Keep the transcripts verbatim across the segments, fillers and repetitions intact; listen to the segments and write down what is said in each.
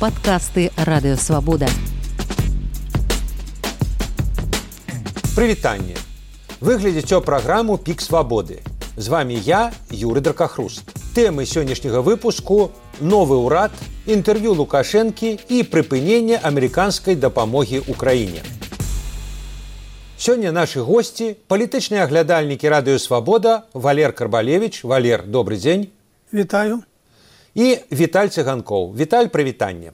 Падкасты Радыё Свабода. Прывітанне. Вы глядзіце праграму «Пік свабоды». З вами я, Юрый Дракахруст. Тэмы сённяшняга выпуску – новы ўрад, інтэрв'ю Лукашэнкі і прыпыненне амерыканскай дапамогі ўкраіне. Сёння нашы госці – палітычныя аглядальнікі Радыё Свабода Валер Карбалевіч. Валер, добры дзень. Вітаю. І Віталь Цыганкоў. Віталь, прывітанне.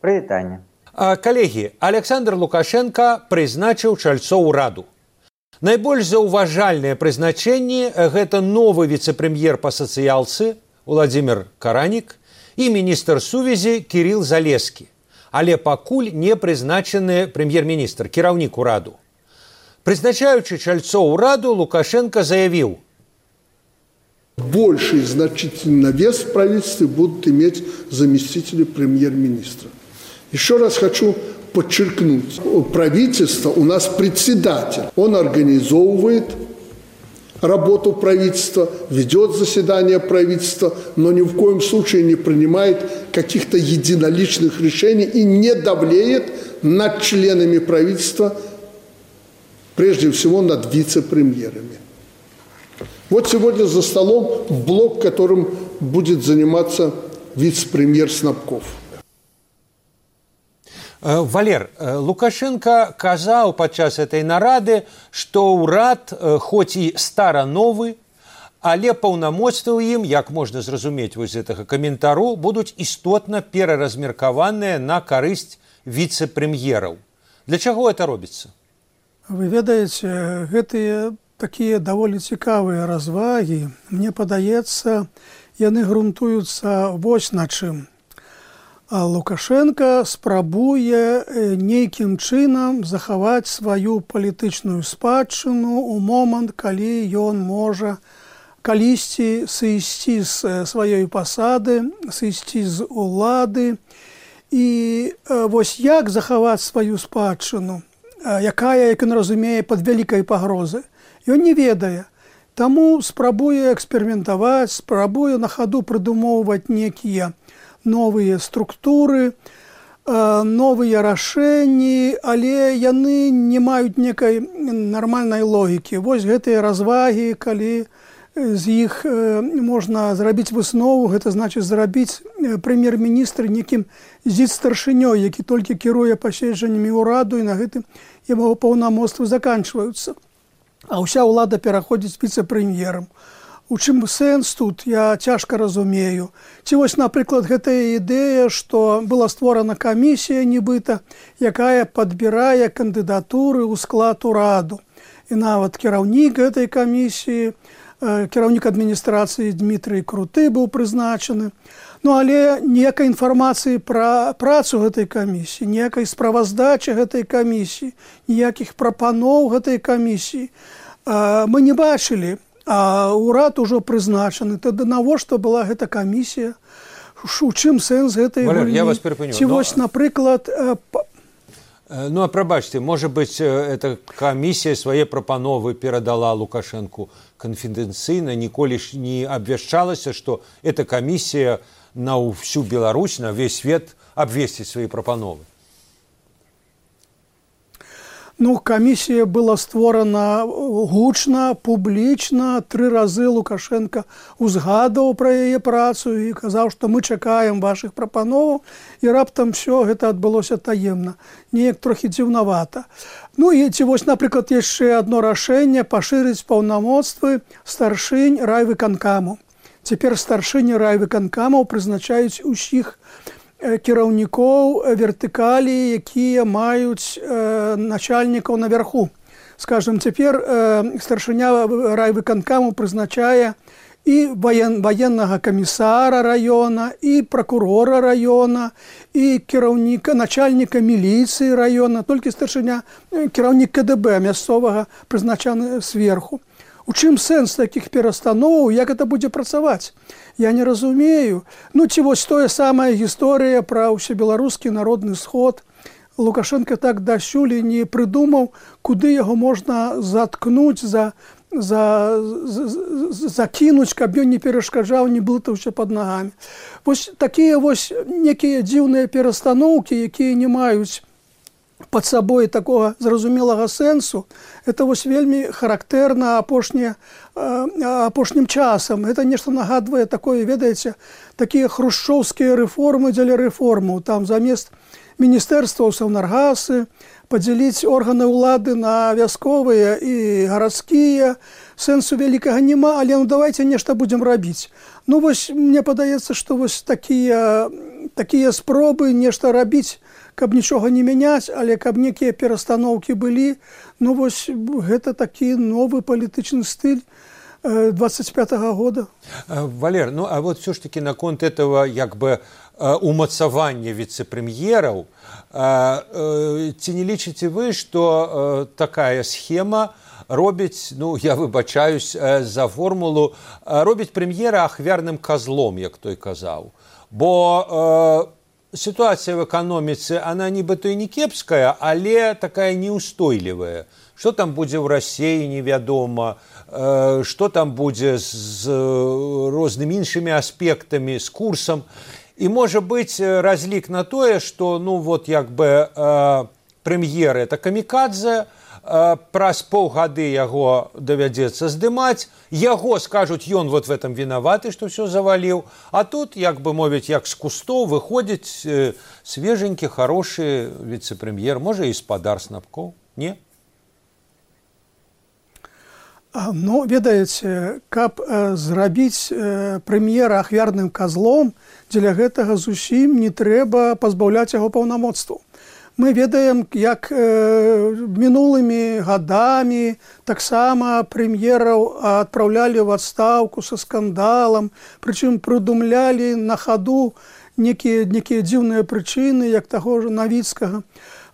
Прывітанне. Калегі, Александр Лукашенко прызначыў чальцоў ураду. Найбольш заўважальныя прызначэнні – гэта новы віцэ-прэм'ер па сацыялцы Владзімір Каранік і міністр сувязі Кірыл Залескі. Але пакуль не прызначаны прэм'ер-міністр, кіраўнік ураду. Прызначаючы чальцоў ураду, Лукашенко заявіў: больший значительный вес в правительстве будут иметь заместители премьер-министра. Еще раз хочу подчеркнуть, правительство у нас председатель, он организовывает работу правительства, ведет заседание правительства, но ни в коем случае не принимает каких-то единоличных решений и не давлеет над членами правительства, прежде всего над вице-премьерами. Вот сегодня за столом блок, которым будет заниматься вице-премьер Снапков. Валер, Лукашенко казаў падчас этой нарады, што ўрад хоць і стара-новы, але паўнамоцтвы ў ім, як можна зразумець вось з гэтага каментару, будуць істотна пераразмеркаваныя на карысць віцэ-прэм'ераў. Для чаго это робіцца? Вы ведаеце, гэтыя такія даволі цікавыя развагі, мне падаецца, яны грунтуюцца вось на чым. Лукашенко спрабуе нейкім чынам захаваць сваю палітычную спадчыну ў момант, калі ён можа калісьці сысці з сваёй пасады, сысці з улады. І вось як захаваць сваю спадчыну, якая, як ён разумее, пад вялікай пагрозай, ён не ведае. Таму спрабуе эксперыментаваць, спрабуе на хаду прыдумоўваць некія новыя структуры, новыя рашэнні, але яны не маюць некай нармальнай логікі. Вось гэтыя развагі, калі з іх можна зрабіць выснову, гэта значыць зрабіць прэм'ер-міністр некім зіц-старшынёй, які толькі кіруе паседжаннямі ўраду, і на гэтым яго паўнамоцтвы заканчваюцца. А ўся ўлада пераходзіць віцэ-прэм'ерам. У чым сэнс тут, я цяжка разумею. Ці вось, напрыклад, гэтая ідэя, што была створана камісія нібыта, якая падбірае кандыдатуры ў склад ураду. І нават кіраўнік гэтай камісіі, кіраўнік адміністрацыі Дмітрый Круты быў прызначаны. Ну, але ніякай інфармацыі пра працу гэтай камісіі, ніякай справаздачы гэтай камісіі, ніякіх прапаноў гэтай камісіі мы не бачылі. А ўрад ужо прызначаны. Тады навошта была гэта камісія? У чым сэнс гэтай гульні? Валер, я вас перапыню. Ці вось, напрыклад... Ну, а прабачце, можа быць, эта камісія свае прапановы перадала Лукашэнку канфідэнцыйна, ніколі ж не абвяшчалася, што эта камісія на ўсю Беларусь, на ўвесь свет абвесціць свае прапановы. Ну, камісія была створана гучна, публічна. Тры разы Лукашенко узгадаў пра яе працу і казаў, што мы чакаем вашых прапановаў, і раптам все гэта адбылося таемна. Неяк трохі дзіўнавата. Ну і ці вось, напрыклад, яшчэ адно рашэнне пашырыць паўнамоцтвы старшынь райвыканкаму. Цяпер старшыні райвыканкамаў прызначаюць усіх кіраўнікоў вертыкалі, якія маюць э, начальнікаў наверху. Скажем, цяпер э, старшыня райвыканкаму прызначае і ваен, ваеннага камісара района, і пракурора района, і кіраўніка, начальніка міліцыі района, толькі старшыня, кіраўнік ка дэ бэ мясцовага прызначаны сверху. У чым сэнс такіх перастановаў, як гэта будзе працаваць? Я не разумею. Ну, ці вось тое самая гісторыя пра ўсебеларускі народны сход. Лукашенко так дасюль не прыдумаў, куды яго можна заткнуць за за, за, закінуць, каб ён не перашкаджаў, не блытаўся пад нагамі. Вось такія вось некія дзіўныя перастаноўкі, якія не маюць пад сабой такога зразумелага сэнсу, это вось вельмі характэрна апошні, апошнім часам. Это нешта нагадвае такое, ведаеце, такія хрушчоўскія рэформы дзеля рэформаў. Там замест міністэрстваў саўнаргасы падзяліць органы ўлады на вясковыя і гарадскія. Сэнсу вялікага няма, але ну давайте нешта будзем рабіць. Ну вось мне падаецца, што вось такія, такія спробы нешта рабіць, каб нічога не мяняць, але каб некія перастаноўкі былі, ну вось гэта такі новы палітычны стыль двадцать пятого года. Валер, ну а вот все ж таки наконт этого як бы умацавання віцэ-прэм'ераў, ці не лічыце вы, што такая схема робіць, ну я выбачаюсь за формулу, робіць прэм'ера ахвярным козлом, як той казаў. Бо ситуация в экономице, она нібыто і не кепская, але такая неустойлівая. Что там будзе в России, невядома, что там будзе з рознымі іншымі аспектамі, з курсам. І можа быць разлік на тое, что ну вот як бы прэм'ер это камікадзе, праз паўгады яго давядзецца здымаць, яго скажуць, ён вот в этом вінаваты, што ўсё заваліў, а тут, як бы мовіць, як з кустоў выходзіць свеженькі, хорошы віцэ-прэм'ер, можа і спадар Снапкоў, не? Ну, ведаеце, каб зрабіць прэм'ера ахвярным козлом, дзеля гэтага зусім не трэба пазбаўляць яго паўнамоцтваў. Мы ведаем, як э, мінулымі гадамі таксама прэм'ераў адпраўлялі ў адстаўку са скандалам, прычым прыдумлялі на хаду некія, некія дзіўныя прычыны, як таго ж Навіцкага.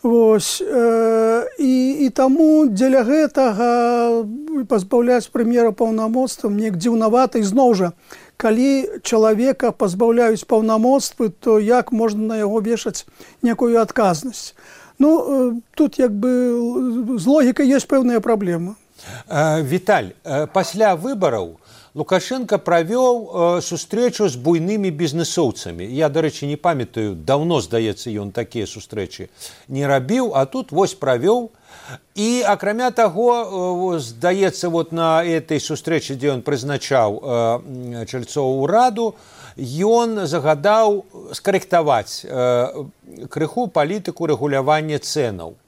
Вось, э, і, і таму дзеля гэтага пазбаўляць прэм'ера паўнамоцтвам неяк дзіўнавата. І зноў жа, калі чалавека пазбаўляюць паўнамоцтвы, то як можна на яго вешаць некую адказнасць? Ну, тут як бы з логікай ёсць пэўная праблема. Віталь, пасля выбараў Лукашенко правёў сустрэчу з буйнымі бізнесоўцамі. Я, дарэчы, не памятаю, даўно, здаецца, ён такія сустрэчы не рабіў, а тут вось правёў. І, акрамя таго, здаецца, вот на этой сустрэчы, дзе ён прызначаў чальцоў ураду, ён загадаў скарэктаваць крыху палітыку рэгулявання цэнаў.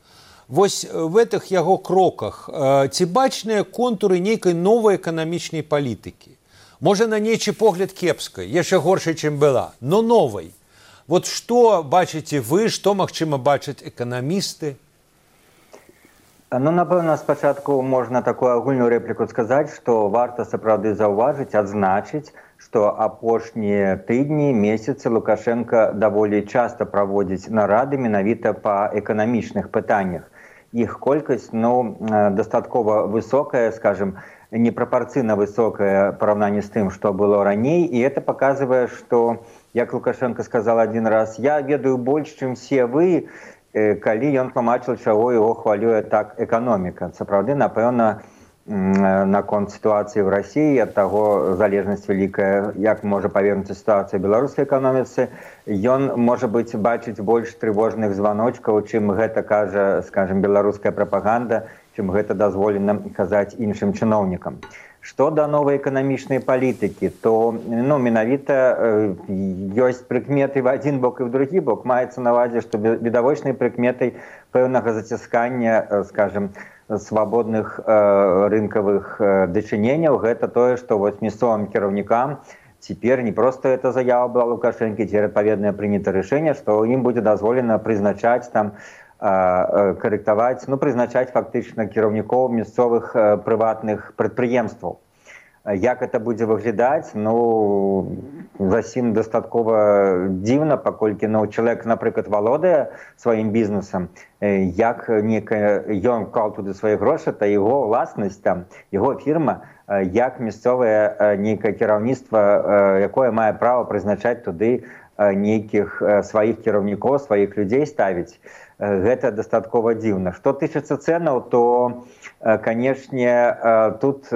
Вось в этих яго кроках ці бачныя контуры нейкай новай эканамічнай палітыкі? Можа, на нейчы погляд кепскай, яшчэ горшай, чым была, но новай. Вот што бачыце вы, што, магчыма, бачаць эканамісты? Ну, напэўна, спачатку можна такую агульную рэпліку сказаць, што варта сапраўды заўважыць, адзначыць, што апошнія тыдні, месяцы Лукашенко даволі часта праводзіць нарады менавіта па эканамічных пытаннях. Іх колькасць, ну, дастаткова высокая, скажем, непрапорцыйна высокая параўнанні з тым, што было раней, і это паказвае, што, як Лукашенко сказал один раз, я ведаю больш, чым все вы, калі ён тлумачыў, чаго яго хвалюе так эканоміка. Сапраўды, напэўна, наконт сітуацыі ў Расіі, ад таго залежнасць вялікая, як можа павернуцца сітуацыя ў беларускай эканоміцы, ён, можа быць, бачыць больш трывожных званочкаў, чым гэта кажа, скажем, беларуская прапаганда, чым гэта дазволена казаць іншым чыноўнікам. Што да новай эканамічнай палітыкі, то ну, менавіта ёсць прыкметы в один бок і в другі бок. Маецца на ўвазе, што відавочнай прыкметай пэўнага заціскання, скажем, свабодных э, рынкавых э, дачыненняў, гэта тое, што вось мясцовым кіраўнікам цяпер не проста эта заява была Лукашэнкі, ці адпаведнае прынята рашэнне, што ім будзе дазволена прызначаць там, э, карэктаваць, ну, прызначаць фактычна кіраўнікоў мясцовых э, прыватных прадпрыемстваў. Як это будзе выглядаць, ну, зусім дастаткова дзіўна, паколькі ну, чалавек, напрыклад, валодае сваім бізнесам, як некая, ён вклаў туды свае грошы, то яго ўласнасць, там, яго фірма, як мясцовае нейкае кіраўніцтва, якое мае права прызначаць туды нейкіх сваіх кіраўнікоў, сваіх людзей ставіць. Гэта дастаткова дзіўна. Што тычыцца цэнаў, то, канешне, тут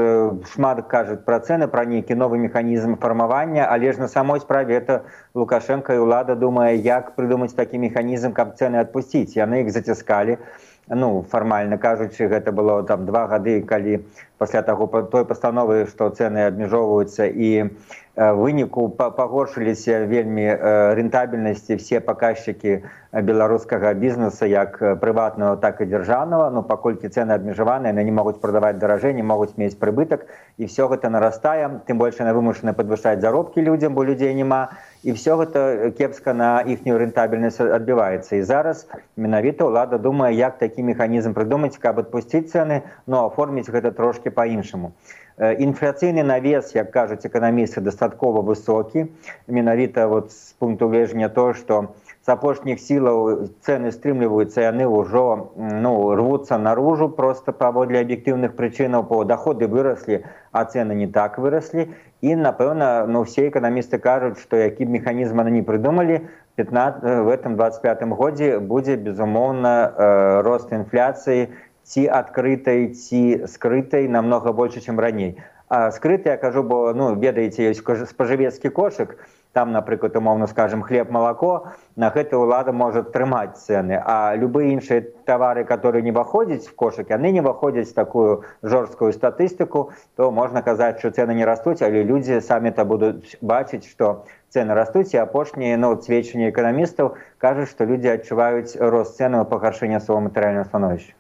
шмат кажуць пра цэны, пра нейкі новы механізм фармавання, але ж на самой справе это Лукашенко і ўлада думае, як прыдумаць такі механізм, каб цэны адпусціць. Яны іх заціскалі. Ну, фармальна кажучы, гэта было там два гады, калі пасля таго той пастановы, што цэны абмяжоўваюцца, і выніку пагоршыліся вельмі рэнтабельнасці все паказчыкі беларускага бізнеса, як прыватнага, так і дзяржаўнага. Ну, паколькі цэны абмежаваныя, яны не могуць прадаваць даражэй, не могуць мець прыбытак, і все гэта нарастае, тым больш яны вымушаны падвышаць заробкі людзям, бо людзей няма, і все гэта кепска на іхнюю рэнтабельнасць адбіваецца. І зараз менавіта ўлада думае, як такі механізм прыдумаць, каб адпусціць цэны, но аформіць гэта трошки па-іншаму. Інфляцыйны навес, як кажуць эканамісты, дастаткова высокі. Менавіта вот з пункту гледжання то, што з апошніх сілаў цэны стрымліваюцца, яны ўжо ну, рвуцца наружу просто паводле аб'ектыўных прычынаў, бо доходы выраслі, а цэны не так выраслі. І, напэўна, ну, все эканамісты кажуць, што які б механізм яны не прыдумалі, в этом двадцать пятым годзе будзе, безумоўна, рост інфляцыі, ці адкрытай, ці скрытай намного больше, чым раней. А скрытай, я кажу, бо, ну, ведаеце, ёсць спажывецкі кошык, там, напрыклад, умоўна скажем, хлеб, малако, на гэта ўлада можа трымаць цэны, а любыя іншыя тавары, которые не выходзяць в кошык, яны не выходзяць в такую жорсткую статыстыку, то можна казаць, што цэны не растуць, але людзі самі-то будуць бачыць, што цэны растуць, і апошнія ну, сведчанні эканамістаў кажуць, што людзі адчуваюць рост цэнаў і пагаршэнне свайго матэрыяльнага становішча.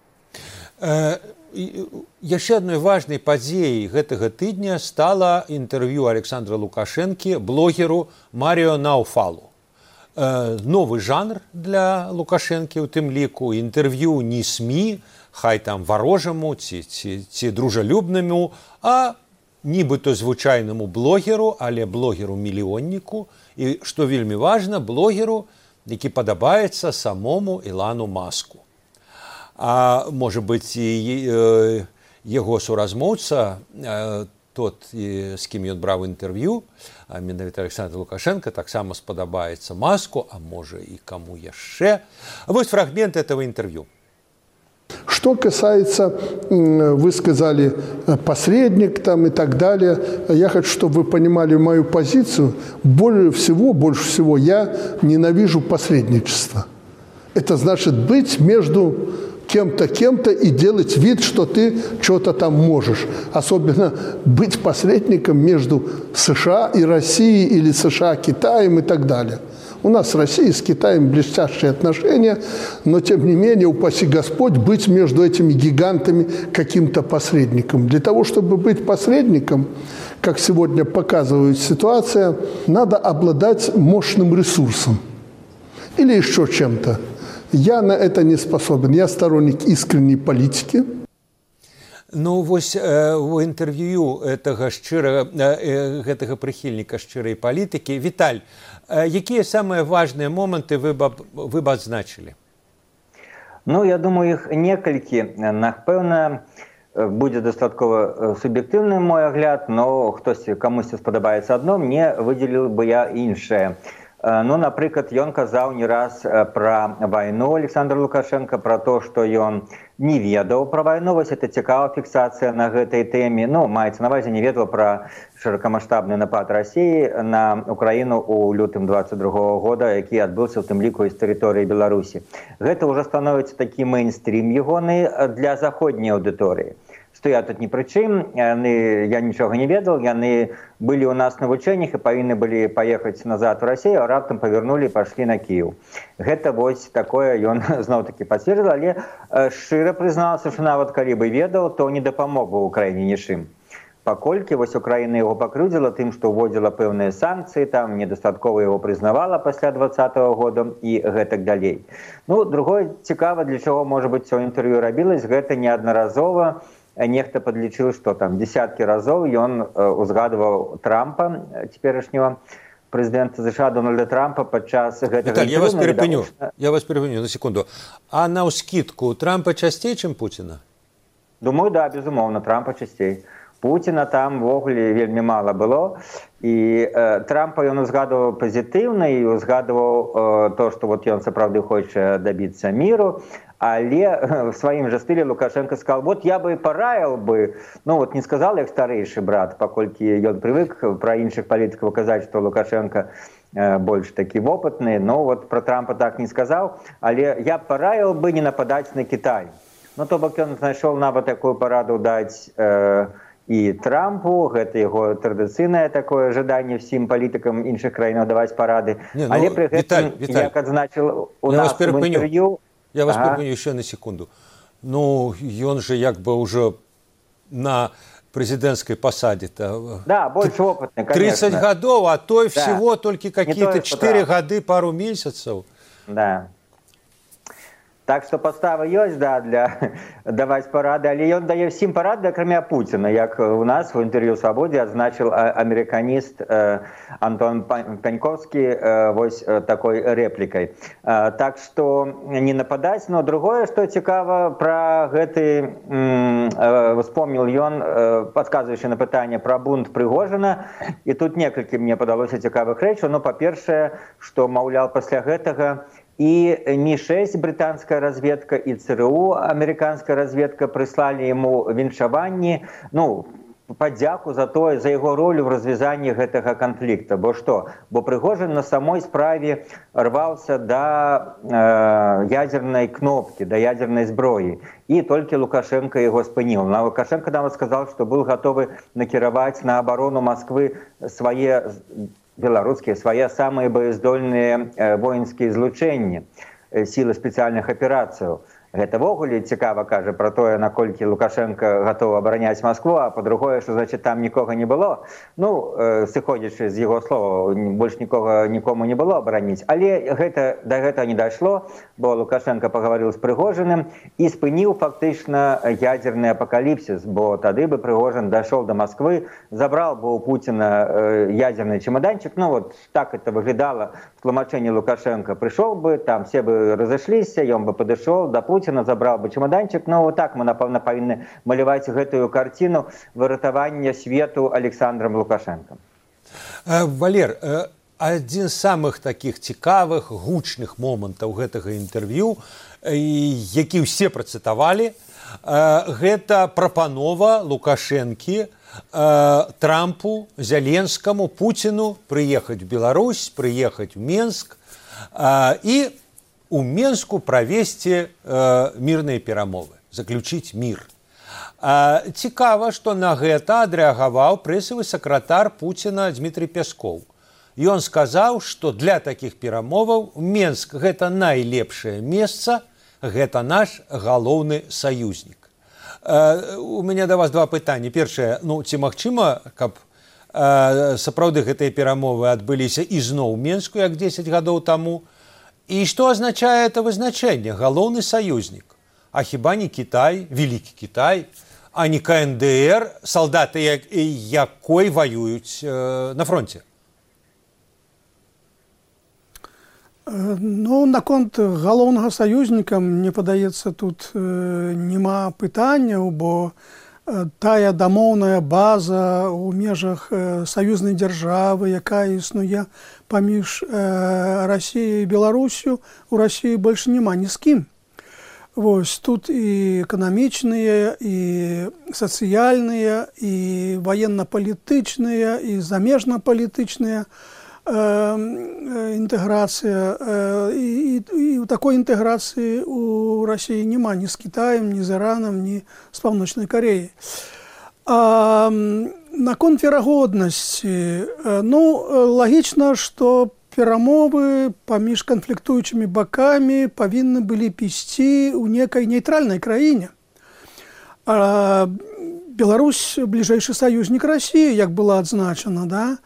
Яшчэ адной важнай падзеяй гэтага тыдня стала інтэрв'ю Александра Лукашэнкі блогеру Маріо Науфалу. Новы жанр для Лукашэнкі, у тым ліку інтэрв'ю не СМІ, хай там варожаму ці, ці, ці дружалюбнаму, а нібыта звычайнаму блогеру, але блогеру-мільённіку, і, што вельмі важна, блогеру, які падабаецца самому Ілону Маску. А можа быць, і яго суразмоўца, тот, з кім ён браў інтэрв'ю, а менавіта Александр Лукашенко, таксама спадабаецца Маску, а можа і каму яшчэ. Вось фрагмент этого интервью. Что касается, вы сказали, посредник там и так далее, я хочу, чтобы вы понимали мою позицию. Более всего, больше всего я ненавижу посредничество. Это значит быть между кем-то, кем-то и делать вид, что ты что-то там можешь. Особенно быть посредником между США и Россией или США, Китаем и так далее. У нас с Россией, с Китаем блестящие отношения, но тем не менее, упаси Господь, быть между этими гигантами каким-то посредником. Для того, чтобы быть посредником, как сегодня показывает ситуация, надо обладать мощным ресурсом или еще чем-то. Я на это не способен. Я сторонник искренней политики. Ну, вось у інтэрв'ю гэтага шчырага, гэтага прыхільніка шчырай палітыкі. Віталь, якія самыя важныя моманты вы б, вы б адзначылі? Ну, я думаю, іх некалькі. Напэўна, будзе дастаткова суб'ектыўны мой агляд, но хтосьці, камусьці спадабаецца адно, мне выдзеліў бы я іншае. Ну, напрыклад, ён казаў не раз пра вайну Александр Лукашенко, пра то, што ён не ведаў пра вайну. Вось это цікавая фіксацыя на гэтай тэме. Ну, маецца на ўвазе, не ведаў пра шырокамаштабны напад Расіі на Украіну ў лютым двадцать другого года, які адбыўся ў тым ліку з тэрыторыі Беларусі. Гэта ўжо становіцца такі мейнстрім ягоны для заходняй аўдыторыі. Што я тут ні пры чым, яны, я нічога не ведаў, яны былі ў нас на вучэннях і павінны былі паехаць назад у Расію, а раптам павярнулі і пайшлі на Кіеў. Гэта вось такое ён зноў-такі пацвердзіў, але шчыра прызнаўся, што нават калі бы ведаў, то не дапамог бы Украіне нічым. Паколькі вось Украіна яго пакрыўдзіла тым, што ўводзіла пэўныя санкцыі, там недастаткова яго прызнавала пасля двадцатого года і гэтак далей. Ну, другое цікава, для чаго, можа быць, цё інтэрв'ю рабілась, гэта неаднаразова. Нехта падлічыў, што там десяткі разоў ён узгадываў Трампа, цяперашняга прэзідэнта США Дональда Трампа падчас гэтага... Віталь, я вас перапыню, я вас перапыню на секунду. А наўскідку Трампа часцей, чым Пуціна? Думаю, да, безумоўна, Трампа часцей. Пуціна там ввогуле вельмі мала было. І э, Трампа ён узгадываў пазітыўна і узгадываў э, то, што вот ён сапраўды хоча дабіцца міру, але э, в сваім жа стылі Лукашенко сказал, вот я бы параіў бы, ну вот не сказал як старэйшы брат, паколькі ён прывык пра іншых палітыкаў казаць, што Лукашенко э, больш такі вопытны, но вот пра Трампа так не сказаў, але я параіў бы не нападаць на Кітай. Ну то бок ён знайшоў нават такую параду даць э, і Трампу, гэта яго традыцыйнае такое жаданне ўсім палітыкам іншых краінаў даваць парады. Не, ну, але пры гэтым, Віталь, Віталь, як адзначил у я нас вас перепыню, в інтэрв'ю... Я вас ага. перепыню еще на секунду. Ну, ён же як бы уже на президентской посаде-то... Да, больше опытный, конечно. тридцать годов, а то и да. всего только какие-то четыре года, пару месяцев. Да. Так што падстава ёсць, да, для даваць парады, але ён дае ўсім парады, акрамя Пуціна, як у нас у інтэрв'ю «Свабодзе» адзначыў амерыканіст э, Антон Пяньковскі э, вось э, такой рэплікай. Э, так што не нападаць, но другое, што цікава пра гэты, э, вспомніл ён, э, падказваючы на пытанне пра бунт Прыгожына, і тут некалькі мне падалося цікавых рэчаў, но па-першае, што, маўляў, пасля гэтага и Ми шесть британская разведка, и ЦРУ американская разведка прислали ему віншаванні, ну, падзяку за то, за его роль в развязанні гэтага конфликта. Бо что? Бо Прыгожин на самой справе рвался до э, ядерной кнопки, до ядерной зброи. И только Лукашенко его спыніў. Но Лукашенко нам сказал, что был готовы накіраваць на оборону Москвы свои беларускія, свае самыя боездольныя э, воінскія злучэнні, э, сілы спецыяльных аперацыяў. Гэта ввогуле цікава кажа пра тое, наколькі Лукашенко гатовы абараняць Москву, а па-другое, што значит там нікога не было. Ну, э, сыходзячы з яго слова, больш нікога нікому не было абараніць. Але гэта да гэтага не дайшло, бо Лукашенко пагаварыў з Прыгожиным і спыніў фактычна ядерны апакаліпсіс, бо тады бы Прыгожин дайшоў до Москвы, забрал бы у Путина э, ядерный чемоданчик. Ну вот так это выглядало в тлумачэнні Лукашенко. Пришел бы, там все бы разышліся, ён бы падышоў до Путина, забрал бы чемоданчик. Ну вот так мы, напэўна, павінны маляваць гэтую картину выратавання свету Александром Лукашенко. Валер, адзін з самых таких цікавых, гучных момантаў гэтага інтэрв'ю, які ўсе працытавалі, гэта прапанова Лукашэнкі Трампу, Зеленскому, Путину прыехаць в Беларусь, прыехаць в Менск і у Менску правесці э, мірныя перамовы, заключыць мір. Э, цікава, што на гэта адрэагаваў прэсавы сакратар Пуціна Дмітрый Пяскоў. Ён сказаў, што для такіх перамоваў Менск гэта найлепшае месца, гэта наш галоўны саюзнік. Э, у мяне да вас два пытанні. Першае, ну ці магчыма, каб э, сапраўды гэтыя перамовы адбыліся ізноў у Менску, як дзесяць гадоў таму? И что означает это вызначение? Галоўны союзник. А хіба не Китай, Великий Китай, а не ка эн дэ эр, солдаты якой воюють э, на фронте? Ну, наконт галоўнага саюзніка, мне падаецца, тут э, няма пытанняў, бо э, тая дамоўная база ў межах э, саюзнай дзяржавы, якая існуе паміж э, Расіяй і Беларусю, у Расіі больш няма ні з кім. Вось тут і эканамічныя, і сацыяльныя, і ваенна-палітычныя, і замежна-палітычныя інтэграцыя. І, і, і у такой інтэграцыі у Расіі няма ні з Кітаем, ні з Іранам, ні з Паўночнай Кареяй. А наконт верагоднасці, ну, лагічна, што перамовы паміж канфліктуючымі бакамі павінны былі ісці ў некай нейтральнай краіне. А Беларусь бліжэйшы саюзнік Расіі, як было адзначана, да?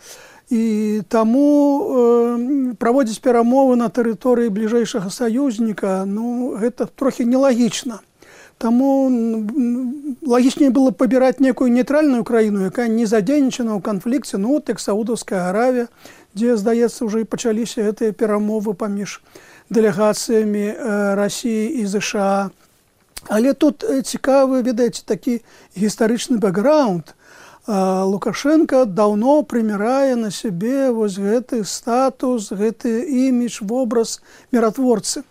І таму э, праводзіць перамовы на тэрыторыі бліжэйшага саюзніка, ну, гэта трохі нелагічна. Таму лагічней было пабіраць некую нейтральную краіну, якая не задзейнічана ў канфлікце, ну, от як Саудаўская Аравія, дзе, здаецца, ўжо і пачаліся гэтыя перамовы паміж дэлегацыямі э, Расіі і ЗША. Але тут цікавы, ведаеце, такі гістарычны бэкграунд. Лукашенко даўно прымірае на сябе вось гэты статус, гэты імідж, вобраз міратворцы.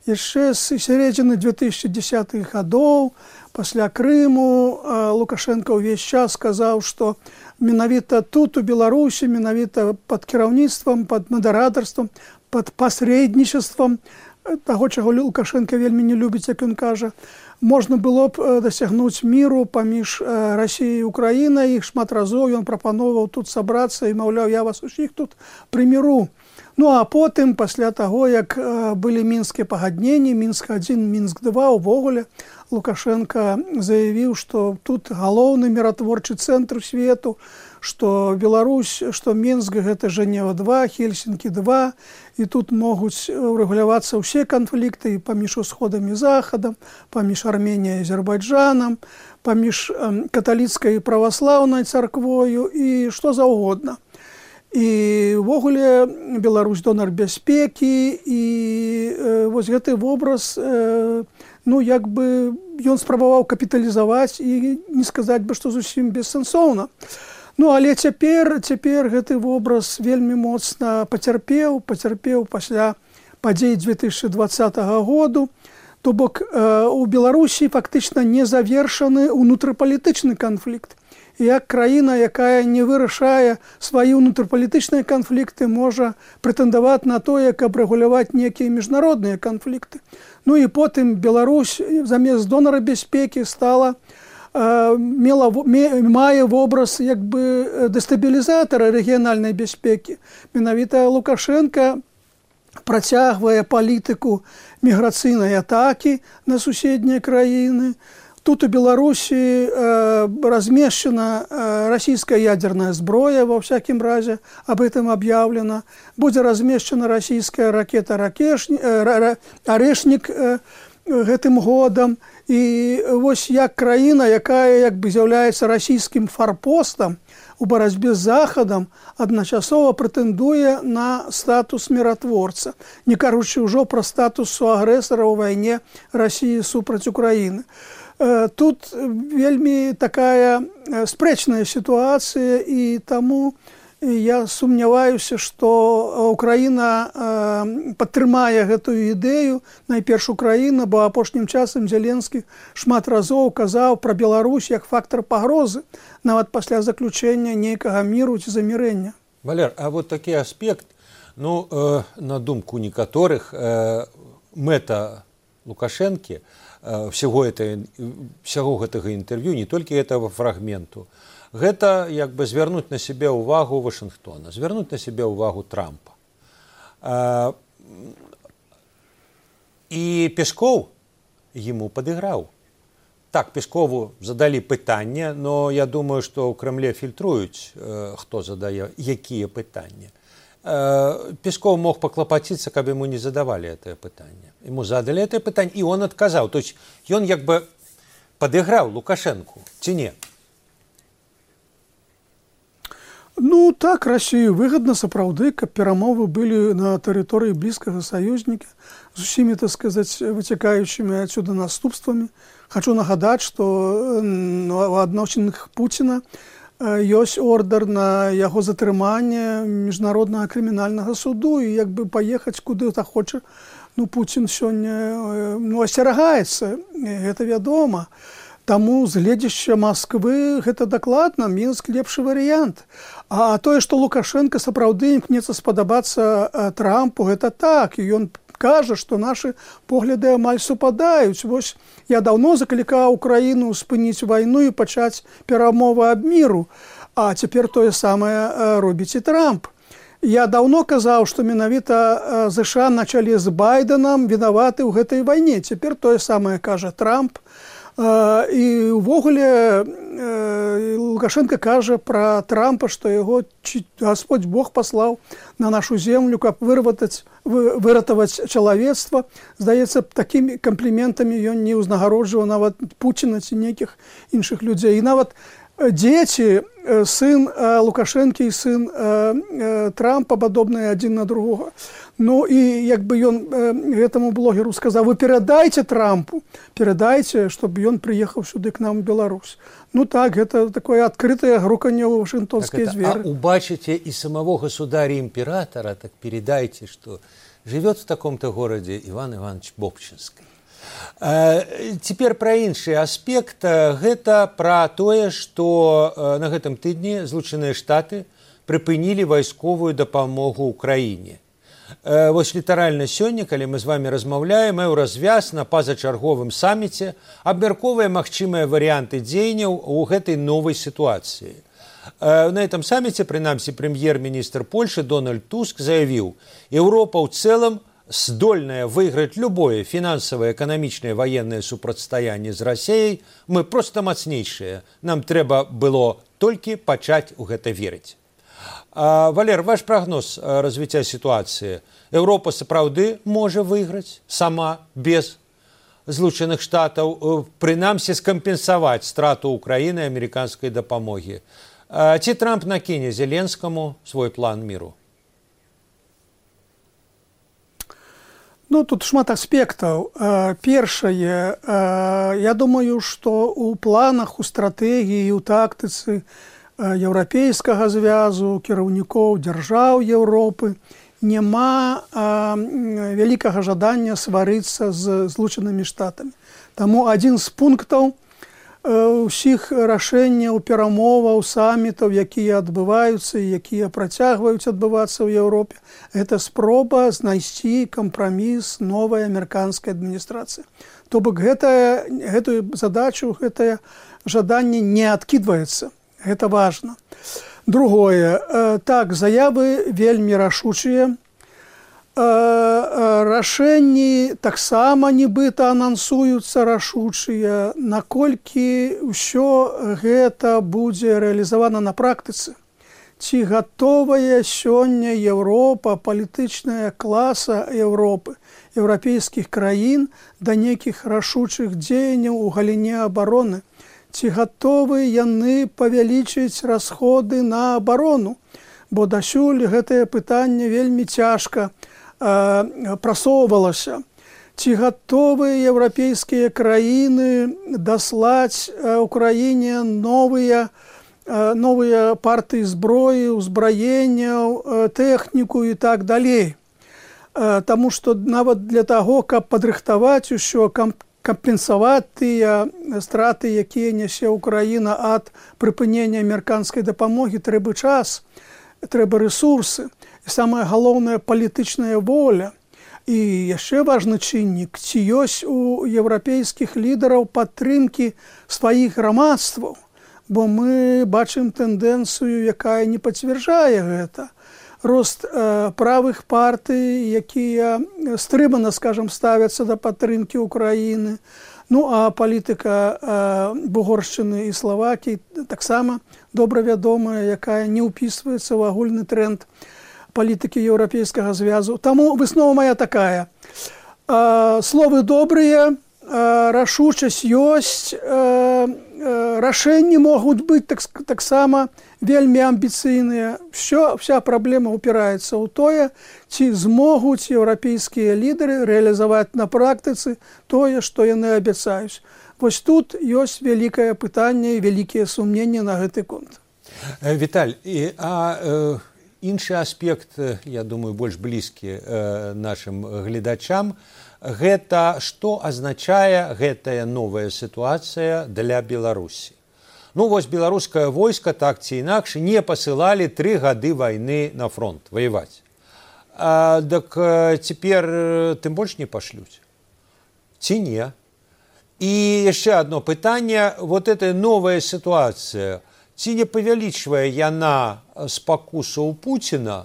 Яшчэ з сярэдзіны две тысячи десятых гадоў, пасля Крыму, Лукашенко ўвесь час сказаў, што менавіта тут, у Беларусі, менавіта пад кіраўніцтвам, пад мадэратарствам, пад пасрэднічествам таго, чаго Лукашенко вельмі не любіць, як ён кажа, можна было б дасягнуць міру паміж Расіяй і Украінай. Шмат разоў ён прапановаў тут сабрацца і, маўляў, я вас усіх тут прыміру. Ну, а потым, пасля таго, як былі мінскія пагадненні, Мінск адзін, Мінск два, увогуле Лукашенко заявіў, што тут галоўны міратворчы цэнтр свету, што Беларусь, што Мінск гэта Жэнева два, Хельсінкі два, і тут могуць урэгулявацца ўсе канфлікты паміж усходам і захадам, паміж Арменіяй і Азербайджанам, паміж каталіцкай і праваслаўнай царквою і што заўгодна. І ўвогуле Беларусь донар бяспекі, і э, вось гэты вобраз, э, ну, як бы ён спрабаваў капіталізаваць і не сказаць бы, што зусім бессэнсоўна. Ну, але цяпер, цяпер гэты вобраз вельмі моцна пацярпеў, пацярпеў пасля падзей две тысячи двадцатага году. То бок э, у Беларусі фактычна не завершаны ўнутрыпалітычны канфлікт. І як краіна, якая не вырашае свае ўнутрыпалітычныя канфлікты, можа прэтэндаваць на тое, каб рэгуляваць некія міжнародныя канфлікты. Ну і потым Беларусь замест донара бяспекі стала, э, мела, мае вобраз як бы дэстабілізатара рэгіянальнай бяспекі. Менавіта Лукашенко працягвае палітыку міграцыйнай атакі на суседнія краіны. Тут у Беларусі э, размешчана э, расійская ядерная зброя, во всякім разе, об этом объявлено. Будзе размешчана расійская ракета э, «Арешнік» э, гэтым годам. І вось як краіна, якая як бы з'яўляецца расійскім фарпостам у барацьбе з Захадам, адначасова прэтэндуе на статус міратворца, не кажучы ўжо пра статус суагрэсара ў вайне Расіі супраць Украіны. Тут вельмі такая спрэчная сітуацыя, і таму я сумняваюся, што Украіна падтрымае гэтую ідэю, найперш Украіна, бо апошнім часам Зеленскі шмат разоў казаў пра Беларусь як фактар пагрозы, нават пасля заключэння нейкага міру ці замірэння. Валер, а вот такі аспект, ну, э, на думку некаторых, э, мэта Лукашэнкі, всего, это, всего гэтага інтэрв'ю, не толькі гэтага фрагменту, гэта як бы звярнуць на сябе ўвагу Вашынгтона, звярнуць на сябе ўвагу Трампа. А, і Песков ему падыграў. Так, Пескову задалі пытанне, но я думаю, што ў Крэмле фільтруюць, э, хто задае, якія пытанні. Песков мог поклопотиться, каб ему не задавали это пытание. Ему задали это пытание, и он отказал. То есть он как бы подыграл Лукашенку, ці не? Ну, так, России выгодно, сапраўды, каб перамовы были на территории близкого союзника, с усімі, так сказать, вытекающими отсюда наступствами. Хочу нагадать, что у адносінах Путина ёсць ордер на яго затрыманне міжнароднага крымінальнага суду, і як бы паехаць куды захоча, ну, Путін сёння, ну, асцерагаецца, гэта вядома. Таму з гледзяшча Масквы гэта дакладна, Мінск лепшы варыянт. А тое, што Лукашенко сапраўды імкнецца спадабацца Трампу, гэта так, і ён кажа, што нашы погляды амаль супадаюць. Вось я даўно заклікаў Украіну спыніць вайну і пачаць перамовы аб міру, а цяпер тое самае робіць і Трамп. Я даўно казаў, што менавіта ЗША на чале з Байденам вінаваты ў гэтай вайне. Цяпер тое самае кажа Трамп. І ўвогуле Лукашенко кажа пра Трампа, што яго Господь Бог паслаў на нашу землю, каб выратаваць, выратаваць чалавецтва. Здаецца, такімі кампліментамі ён не ўзнагароджваў нават Пуціна ці нейкіх іншых людзей. І нават Дети, сын Лукашенко и сын Трампа подобные один на другого. Ну и как бы он этому блогеру сказал: вы передайте Трампу, передайте, чтобы он приехал сюда к нам в Беларусь. Ну так, это такое открытое груканье вашингтонские зверы. А убачите и самого государя-императора, так передайте, что живет в таком-то городе Иван Иванович Бобчинский. Цяпер пра іншы аспект, гэта пра тое, што на гэтым тыдні Злучаныя Штаты прыпынілі вайсковую дапамогу ўкраіне. Вось літаральна сёння, калі мы з вами размаўляем, еўразвяз на пазачарговым саміце абмяркоўвае магчымыя варыянты дзеянняў у гэтай новай сітуацыі. На этом саммите, прынамсі, прэм'ер-міністр Польши Дональд Туск заявіў: Еўропа ў цэлым здольная выиграть любое финансовое, экономичное, военное супрацьстаяние с Россией, мы просто мацнейшие. Нам трэба было только пачать у гэта верить. А, Валер, ваш прогноз развития ситуации. Европа сапраўды можа выиграть сама, без Злучаных Штатов, прынамсі скомпенсовать страту Украины и американской дапамоги. А, ці Трамп накіне Зеленскому свой план миру? Ну, тут шмат аспектаў. Першае, я думаю, што ў планах, у стратэгіі, у тактыцы еўрапейскага звязу, кіраўнікоў дзяржаў Еўропы няма вялікага жадання сварыцца з Злучанымі Штатамі. Таму адзін з пунктаў усіх рашэнняў, перамоваў, самітаў, якія адбываюцца і якія працягваюць адбывацца ў Еўропе, гэта спроба знайсці кампраміс новай амерыканскай адміністрацыі. То бок гэтая, гэтую задачу, гэтае жаданне не адкідваецца. Гэта важна. Другое. Так, заявы вельмі рашучыя. Рашэнні таксама нібыта анансуюцца рашучыя, наколькі ўсё гэта будзе рэалізавана на практыцы. Ці гатовая сёння Еўропа, палітычная класа Еўропы, еўрапейскіх краін да нейкіх рашучых дзеянняў у галіне абароны? Ці гатовы яны павялічыць расходы на абарону? Бо дасюль гэтае пытанне вельмі цяжка прасоўвалася. Ці гатовыя еўрапейскія краіны даслаць Украіне новыя, новыя партыі зброі, узбраенняў, тэхніку і так далей. Таму што нават для таго, каб падрыхтаваць усё, кампенсаваць тыя страты, якія нясе Украіна ад прыпынення амерыканскай дапамогі, трэба час, трэба рэсурсы. І самая галоўная палітычная воля. І яшчэ важны чыннік, ці ёсць у еўрапейскіх лідараў падтрымкі сваіх грамадстваў, бо мы бачым тэндэнцыю, якая не пацвярджае гэта. Рост э, правых партый, якія стрымана, скажам, ставяцца да падтрымкі Украіны. Ну, а палітыка э, Бугоршчыны і Славакіі таксама добра вядомая, якая не ўпісваецца ў агульны тренд палітыкі еўрапейскага звязу. Таму выснова моя такая. Э, словы добрыя, э, рашучасць ёсць, э, э, рашэнні могуць быць так, таксама вельмі амбіцыйныя. Всё, вся праблема упіраецца ў тое, ці змогуць еўрапейскія лідары рэалізаваць на практыцы тое, што яны абяцаюць. Вось тут ёсць вялікае пытанне і вялікія сумненні на гэты конт. Віталь, і, а... Э... Іншы аспект, я думаю, больш блізкі э, нашым гледачам, гэта што азначае гэтая новая сітуацыя для Беларусі. Ну, вось беларускае войска, так ці інакш, не пасылалі тры гады вайны на фронт ваяваць. А, так цяпер тым больш не пашлюць. Ці не? І яшчэ адно пытанне, вот эта новая сітуацыя, ці не павялічвае яна спакусу ў Пуціна,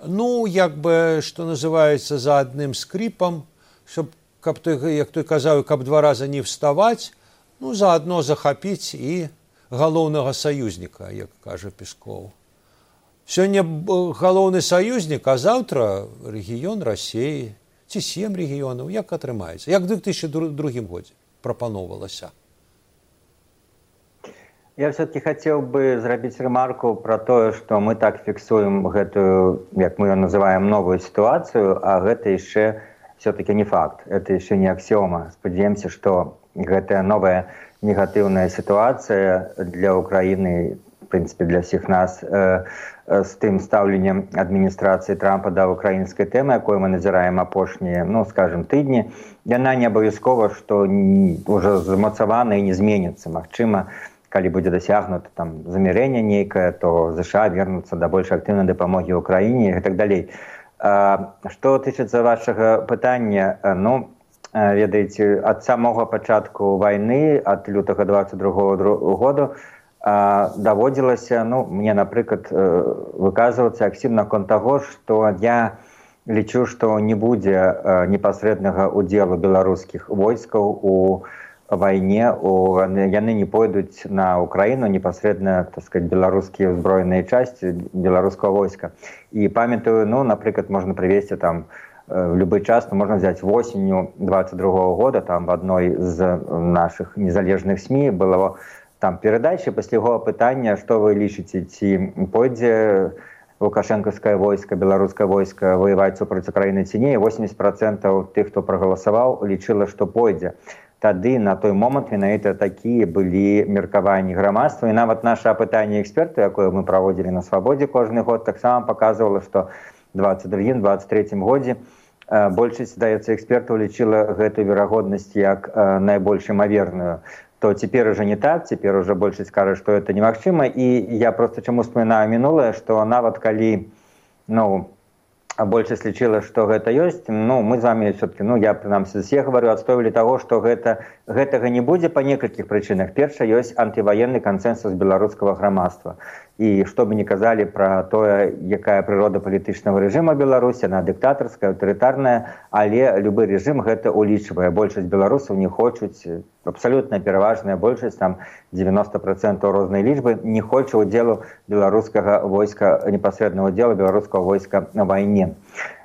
ну, як бы, што называецца, за адным скрипам, щоб, каб той, як той казаў, каб два раза не вставаць, ну, заадно захапіць і галоўнага саюзніка, як кажа Пескоў. Сёння галоўны саюзнік, а заўтра рэгіён Расіі, ці сем рэгіёнаў, як атрымаецца? Як у две тысячи другім годзе прапаноўвалася? Я все-таки хотел бы зрабіць ремарку про то, что мы так фіксуем гэтую, як мы ее называем, новую ситуацию, а гэта еще все-таки не факт, это еще не аксиома. Спадзяемся, что гэтая новая негативная ситуация для Украины, в принципе, для всех нас, э, э, с тем ставленнем администрации Трампа до украинской темы, якую мы назираем апошние, ну, скажем, тыдни, яна не абавязкова, что уже замацавана и не изменится. Магчыма, калі будзе дасягнута там замірэнне нейкае, то ЗША вернуцца да больш актыўнай дапамогі ўкраіне і так далей. Што тычыцца вашага пытання, ну, ведаеце, ад самога пачатку вайны, ад лютага двадцать другого году, даводзілася, ну, мне, напрыклад, выказвацца акцент наконт таго, што я лічу, што не будзе непасрэднага удзелу беларускіх войскаў у вайне, у, яны не пойдуць на Украіну непасрэдна, так сказать, беларускія ўзброеныя часці беларускага войска. І памятаю, ну, напрыклад, можна прывесці там в любой час, ну, можно взять осенью двадцать другого года, там в одной из наших незалежных СМИ было там передача пасля яго пытання, што вы лічыце, ці пойдзе лукашэнкаўскае войска, беларускае войска воеваць супраць Украіны ці не, восемьдесят процентов тых, хто прагаласаваў, лічыла, што пойдзе. Тады на той момант менавіта такія былі меркаванні грамадства, і нават наша апытанне эксперту, якое мы праводзілі на Свабодзе кожны год, таксама паказвала, што двадцать другім двадцать трэцім годзе большасць, здаецца, экспертаў лічыла гэту верагоднасць як найбольш імаверную. То цяпер уже не так, цяпер уже большасць кажа, што это немагчыма, і я просто чаму вспоминаю мінулае, што нават калі, ну, большасць лічыла, што гэта ёсць, ну, мы з вами все-таки, ну, я, прынамсі, все говорю, адстойвалі таго, што гэта, гэтага не будзе па некалькіх прычынах. Перша, ёсць антываенны кансэнсус беларускага грамадства. І што бы ні казалі пра тое, якая прырода палітычнага рэжыма Беларусі, она дыктатарская, аўтарытарная, але любы рэжым гэта улічвае. Большасць беларусаў не хочуць, абсалютна пераважная большасць, там девяносто процентов рознай лічбы, не хоча удзелу беларускага войска, непасрэднага удзелу беларускага войска на вайне.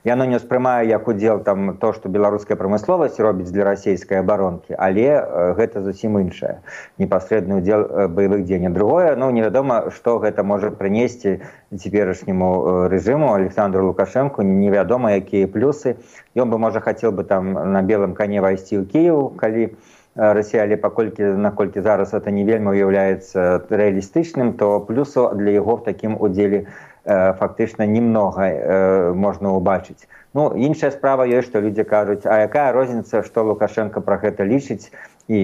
Яно не ўспрымае як удзел там то, што беларуская прамысловасць робіць для расійскай абаронкі, але гэта зусім іншае. Непасрэдны удзел баявых дзеянняў. Другое, ну, невядома, што гэта можа прынесці цяперашняму рэжыму Александру Лукашэнку, невядома, якія плюсы. Ён бы, можа, хацеў бы там на белым коне вайсці ў Кіеў, калі Расія, але паколькі, наколькі зараз это не вельмі уяўляецца рэалістычным, то плюсу для яго в такім удзеле фактычна немнога э, можна ўбачыць. Ну, іншая справа ёсць, што людзі кажуць, а якая розніца, што Лукашенко пра гэта лічыць, і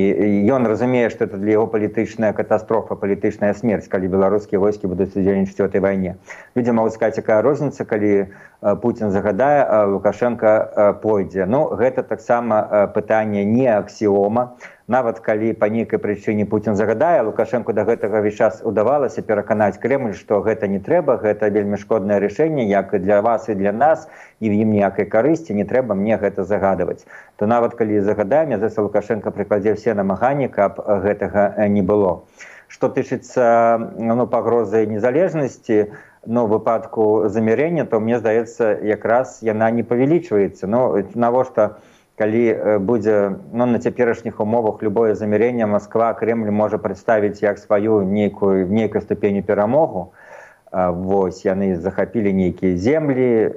ён разумее, што это для яго палітычная катастрофа, палітычная смерць, калі беларускія войскі будуць удзельнічаць у этой вайне. Людзі могуць сказаць, якая розніца, калі Путін загадае, а Лукашенко пойдзе. Ну, гэта таксама пытанне не аксіома. Нават калі па нейкай прычыне Путін загадае, Лукашэнку да гэтага весь час удавалася пераканаць Кремль, што гэта не трэба, гэта вельмі шкоднае рашэнне, як і для вас і для нас, і в ім ніякай карысці, не трэба мне гэта загадваць. То нават калі загадаем, здаецца, Лукашенко прыкладзе ўсе намаганні, каб гэтага не было. Што тычыцца, ну, пагрозы незалежнасці, ну, в выпадку замірэння, то мне здаецца, якраз яна не павялічваецца. Ну, навошта калі будзе, ну, на цяперашніх умовах любое замірэнне, Москва, Кремль можа прадставіць як сваю нейкую, нейкую ступеню перамогу. Вось, яны захапілі нейкія землі,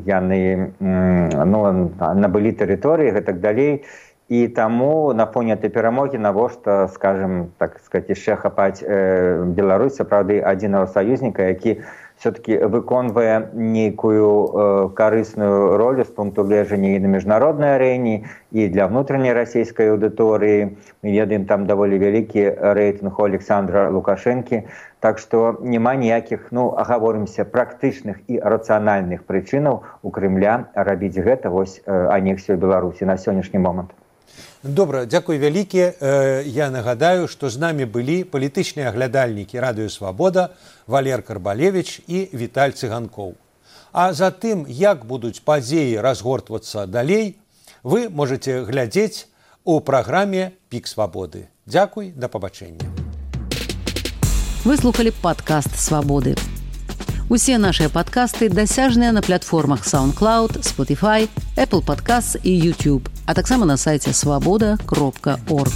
яны, ну, набылі тэрыторыі і так далей. І таму на фоне этой перамогі навошта, скажем, так сказать, яшчэ хапаць Беларусь, сапраўды адзінага саюзніка, які все-таки выконвае нейкую э, карысную ролю з пункту гледжання і на міжнароднай арэне, і для внутренняй расійскай аўдыторыі. Мы ведаем, там даволі вялікі рэйтынг у Александра Лукашэнкі. Так што няма ніякіх, ну, агаворымся, практычных і рацыянальных прычынаў у Крымля рабіць гэта, вось, анексію Беларусі на сённяшні момант. Добра, дзякуй вялікі. Я нагадаю, што з намі былі палітычныя аглядальнікі Радыё Свабода Валер Карбалевіч і Віталь Цыганкоў. А за тым, як будуць падзеі разгортвацца далей, вы можаце глядзець у праграме «Пік свабоды». Дзякуй, да пабачэння. Вы слухали падкаст «Свабоды». Усе нашыя падкасты дасяжныя на платформах SoundCloud, Spotify, Apple Podcasts і YouTube, а таксама на сайце свабода кропка орг.